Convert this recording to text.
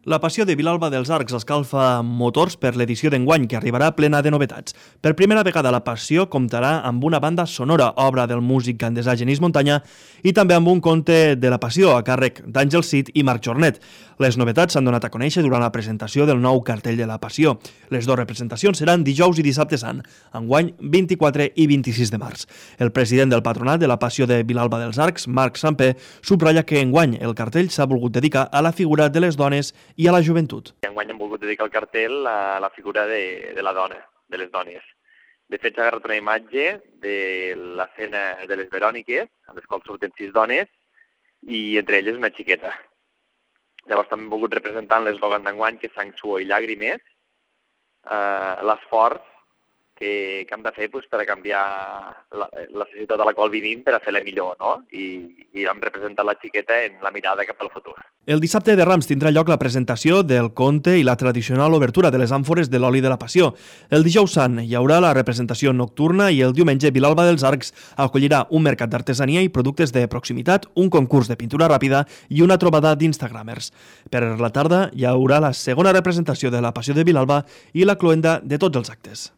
La Passió de Vilalba dels Arcs escalfa motors per l'edició d'enguany, que arribarà plena de novetats. Per primera vegada la Passió comptarà amb una banda sonora, obra del músic gandesà Genís Montanya, i també amb un conte de la Passió a càrrec d'Àngel Cid i Marc Jornet. Les novetats s'han donat a conèixer durant la presentació del nou cartell de la Passió. Les dues representacions seran dijous i dissabte sant, enguany 24 i 26 de març. El president del patronat de la Passió de Vilalba dels Arcs, Marc Sampé, subratlla que enguany el cartell s'ha volgut dedicar a la figura de les dones i a la joventut. Enguany hem volgut dedicar el cartell a la figura de la dona, de les dones. De fet, s'ha agarrat una imatge de l'escena de les Veròniques, en les quals surten 6 dones, i entre elles una xiqueta. Llavors també hem volgut representar l'eslògan d'enguany, que és sang, suor i llàgrimes, l'esforç que hem de fer per a canviar la societat a la qual vivim per a fer-la millor, no? I hem representat la xiqueta en la mirada cap al futur. El dissabte de Rams tindrà lloc la presentació del conte i la tradicional obertura de les àmfores de l'oli de la Passió. El dijous sant hi haurà la representació nocturna i el diumenge Vilalba dels Arcs acollirà un mercat d'artesania i productes de proximitat, un concurs de pintura ràpida i una trobada d'instagramers. Per la tarda hi haurà la segona representació de la Passió de Vilalba i la cloenda de tots els actes.